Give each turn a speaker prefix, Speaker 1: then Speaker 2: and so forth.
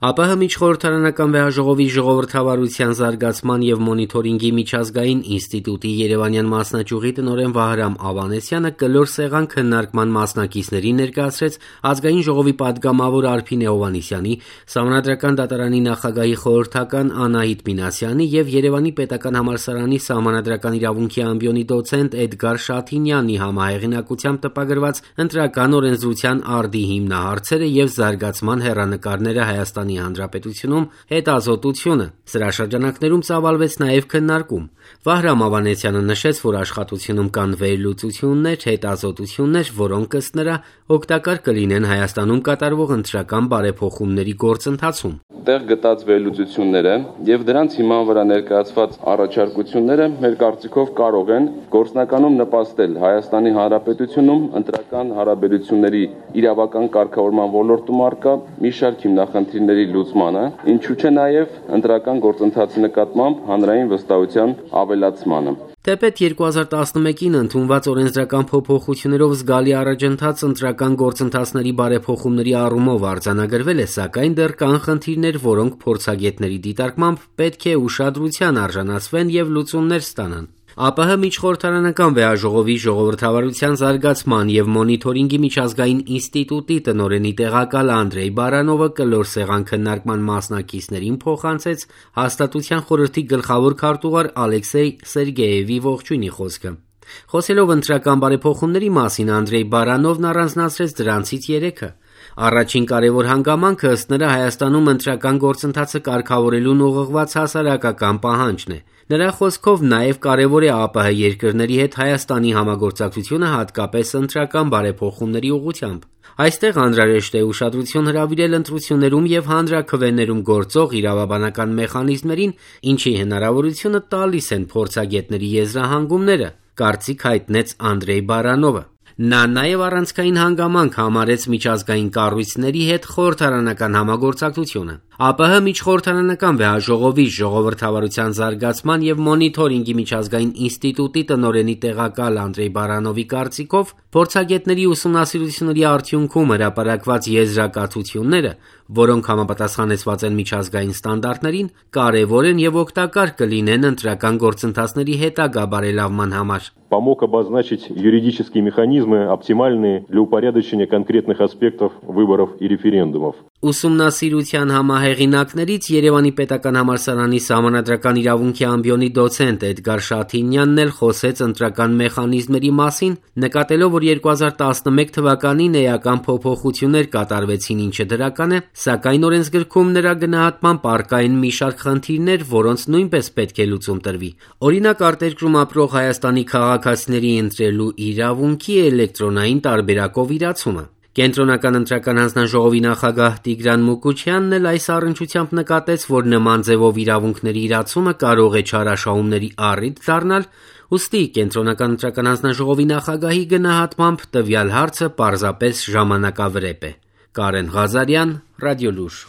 Speaker 1: ԱՊՀ միջխորհրդարանական վեհաժողովի ժողովրդավարության զարգացման եւ մոնիթորինգի միջազգային ինստիտուտի երևանյան մասնաճյուղի տնօրեն Վահրամ Ավանեսյանը կլոր սեղան քննարկման մասնակիցներին ներկայացրեց Ազգային ժողովի պատգամավոր Արփին Հովհաննիսյանի, Սահմանադրական դատարանի նախագահի խորհրդական Անահիտ Մինասյանի եւ Երևանի պետական համալսարանի Սահմանադրական իրավունքի ամբիոնի դոցենտ Էդգար Շաթինյանի համահեղինակությամբ տպագրված ընտրական օրենսդրության արդի հիմնահարցերը եւ զարգացման հեռանկարները Հայաստանի Հանրապետությունում հետազոտությունը։ Սրա շրջանակներում ծավալվեց նաև քննարկում։ Վահրամ Ավանեսյանը նշեց, որ աշխատությունում կան վերլուծություններ, հետազոտություններ, որոնք ըստ նրա օգտակար կլինեն Հայաստանում կատարվող ընտրական բարեփոխումների գործընթացում։
Speaker 2: Տեղ գտած վերլուծությունները եւ դրանց հիման վրա ներկայացված առաջարկությունները մեր կարծիքով կարող են գործնականում նպաստել Հայաստանի Հանրապետությունում ընտրական հարաբերությունների իրավական կարգավորման ոլորտում առկա մի շարք հիմնախնդիրների լուծմանը, ինչու չէ նաև ընտրական գործընթացի նկատմամբ հանրային վստահության ավելացմանը։
Speaker 1: Թեպետ 2011-ին ընդունված օրենսդրական փոփոխություններով զգալի առաջընթաց ընտրական գործընթացների բարեփոխումների առումով արձանագրվել է, սակայն դեռ կան խնդիրներ, որոնք փորձագետների դիտարկմամբ պետք է ուշադրության արժանացվեն եւ լուծումներ ստանան։ ԱՊՀ միջխորհրդարանական վեհաժողովի ժողովրդավարության զարգացման եւ մոնիթորինգի միջազգային ինստիտուտի տնօրենի տեղակալ Անդրեյ Բարանովը կլոր սեղան քննարկման մասնակիցներին փոխանցեց Հաստատության խորհրդի գլխավոր քարտուղար Ալեքսեյ Սերգեևի ողջույնի խոսքը։ Խոսելով ընտրական բարեփոխումների մասին Անդրեյ Բարանովն առանձնացրեց դրանցից 3-ը։ Առաջին կարևոր հանգամանքը ըստ նրա Հայաստանում ընտրական գործընթացը կարգավորելուն ուղղված հասարակական պահանջն է։ Նրա խոսքով նաև կարևոր է ԱՊՀ երկրների հետ Հայաստանի համագործակցությունը հատկապես ընտրական բարեփոխումների ուղղությամբ։ Այստեղ անհրաժեշտ է ուշադրություն հրավիրել ընտրություններում եւ հանրաքվեներում գործող իրավաբանական մեխանիզմներին, ինչի հնարավորությունը տալիս են փորձագետների եզրահանգումները, կարծիք հայտնեց Անդրեյ Բարանովը։ Նա նաև առանցքային հանգամանք համարեց միջազգային կառույցների հետ խորհրդարանական համագործակցությունը։ ԱՊՀ միջխորհրդարանական վեհաժողովի ժողովրդավարության զարգացման եւ մոնիթորինգի միջազգային ինստիտուտի տնօրենի տեղակալ Անդրեյ Բարանովի կարծիքով փորձագետների ուսումնասիրությունների արդյունքում հրապարակված եզրակացությունները, որոնք համապատասխանեցված են միջազգային ստանդարտներին, կարևոր են եւ օգտակար կլինեն ընտրական գործընթացների հետագա բարելավման համար։
Speaker 3: Помог обозначить юридические механизмы, оптимальные для упорядочения конкретных аспектов выборов и референдумов.
Speaker 1: Ուսումնասիրության համահեղինակներից Երևանի պետական համալսարանի Սահմանադրական իրավունքի ամբիոնի դոցենտ Էդգար Շաթինյանն էլ խոսեց ընտրական մեխանիզմերի մասին, նկատելով, որ 2011 թվականին էական փոփոխություններ կատարվեցին, ինչը դրական է, սակայն օրենսգրքում նրա գնահատմամբ առկա են մի շարք խնդիրներ, որոնց նույնպես պետք է լուծում տրվի։ Օրինակ, արտերկրում ապրող Հայաստանի քաղաքացիների ընտրելու իրավունքի էլեկտրոնային տարբերակով իրացումը։ Կենտրոնական ընտրական հանձնաժողովի նախագահ Տիգրան Մուկուչյանն էլ այս առնչությամբ նկատեց, որ նման ձևով իրավունքների իրացումը կարող է չարաշահումների առիթ դառնալ, ուստի Կենտրոնական ընտրական հանձնաժողովի նախագահի գնահատմամբ տվյալ հարցը պարզապես ժամանակավրեպ է։ Կարեն Ղազարյան, Ռադիոլուր։